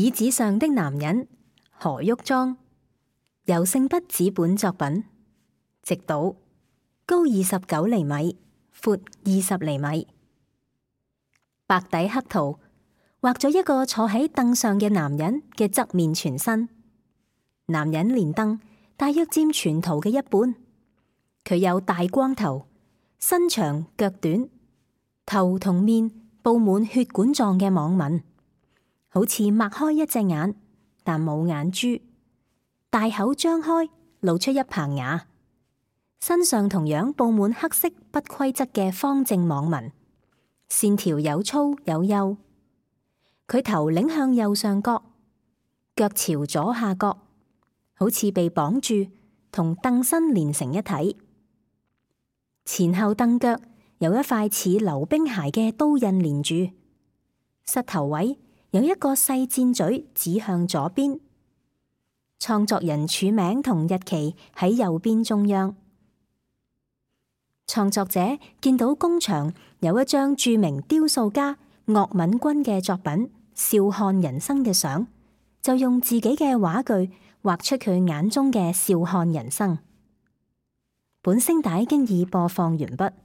椅子上的男人何旭莊，由聖筆紙本作品，直島，高29厘米，闊20厘米。白底黑圖畫咗一個坐喺凳上嘅男人嘅側面全身，男人連凳大約佔全圖嘅一半。佢有大光頭，身長腳短，頭同面布滿血管狀嘅網紋，好似擘開一隻眼，但冇眼珠，大口張開，露出一棚牙。身上同樣布滿黑色不規則嘅方正網紋，線條有粗有幼。佢頭擰向右上角，腳朝左下角，好似被綁住，同凳身連成一體。前後凳腳有一塊似溜冰鞋嘅刀印連住，膝頭位有一個細箭嘴指向左邊。創作人署名同日期喺右邊中央。創作者見到工場有一張著名雕塑家岳敏君嘅作品《笑看人生》嘅相，就用自己嘅畫具畫出佢眼中嘅笑看人生。本聲帶經已播放完畢。